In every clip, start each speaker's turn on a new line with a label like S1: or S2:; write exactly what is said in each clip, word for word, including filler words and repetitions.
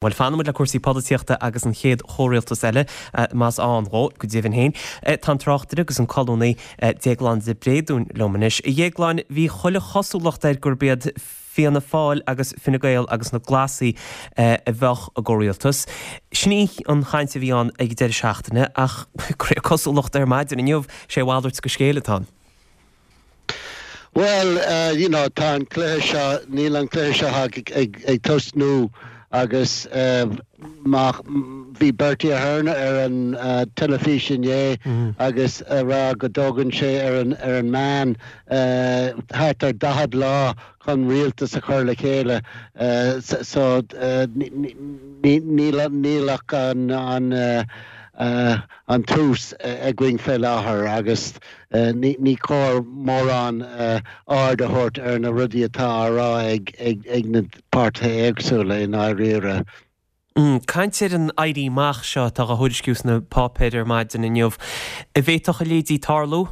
S1: Bhuel, fanfaidh muid le cúrsaí polaitíochta agus an chéad chomhrialtas eile, más ann dhó, go deimhin féin. Tá an tráchtaire agus an colúnaí Déaglán de Bréadún liom anois. A Dhéagláin, bhí chuile chosúlacht air gurb iad Fianna Fáil agus Fine Gael agus na Glasaigh a bheadh i gcomhrialtas. Sin í an chaint a bhí ann ag an deireadh seachtaine ach cosúlacht ar maidin inniu, sé a mhalairt de scéal atá ann.
S2: Bhuel, you know, tá an cluiche seo, níl an cluiche seo ag, ag, ag tosnú agus má bhí Bertie Ahern ar an teilifís inné agus a rá go dtógann sé ar an, ar an meán thart ar daichead lá chun rialtas a chur le chéile. So níl, níl ach an, an, an tús againn fé láthair agus ní cóir mórán aird a thabhairt ar na rudaí atá á rá ag na páirtithe éagsúla i ndáiríre.
S1: Caint ar an éirí amach seo atá á thuairisciú sna páipéir ar maidin inniu. An bhféadfadh a leithéidí tarlú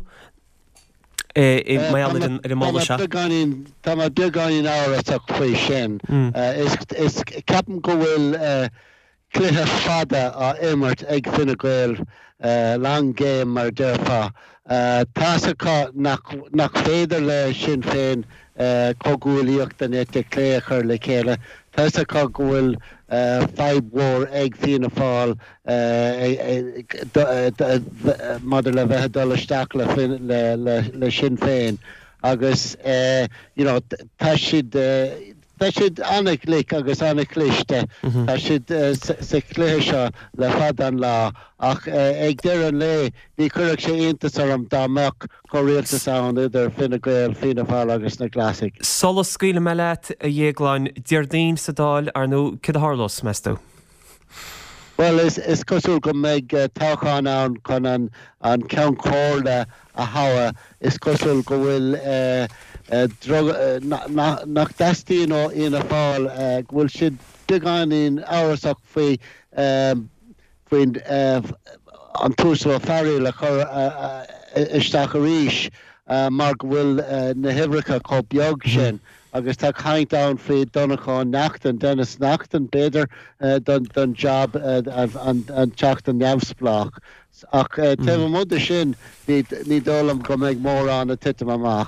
S1: i mar gheall ar an moladh seo?
S2: Tá mé beagáinín amhrasach faoi sin. Is ceapaim go bhfuil cluiche fada á imirt ag Fine Gael, long game mar a déarfá. Tá's acu nach féidir le Sinn Féin comhghuaillíocht den eite chlé a chur le chéile. Tá's acu go bhfuil fadhb mhór ag Fianna Fáil maidir le bheith ag dul isteach le Sinn Féin agus you know tá siad Tá siad an-ghlic agus an-chliste. Tá siad sa chluiche seo le fada an lá ach ag deireadh an lae ní chuirfeadh sé iontas orm dá mbeadh comhrialtas ann idir Fine Gael, Fianna Fáil agus na Glasaigh.
S1: Sula scaoilfidh mé leat, a Dhéagláin, Déardaoin sa Dáil, ar ndóigh, céard a tharlós, meas tú?
S2: Bhuel, is cosúil go mbeidh toghchán ann chun an Ceann Comhairle a thoghadh. Is cosúil go bhfuil nach dteastaíonn ó Fhianna Fáil, go bhfuil siad beagáinín amhrasach faoi faoin an tUasal Ó Fearghaíl a chur isteach arís mar go bhfuil na huimhreacha chomh beag sin. Agus tá caint ann faoi Donncha Ó Neachtain, Denis Naughten, b'fhéidir, don jab, an Teachta neamhspleách. Ach taobh amuigh de sin, ní dóigh liom go mbeidh mórán ag titim amach.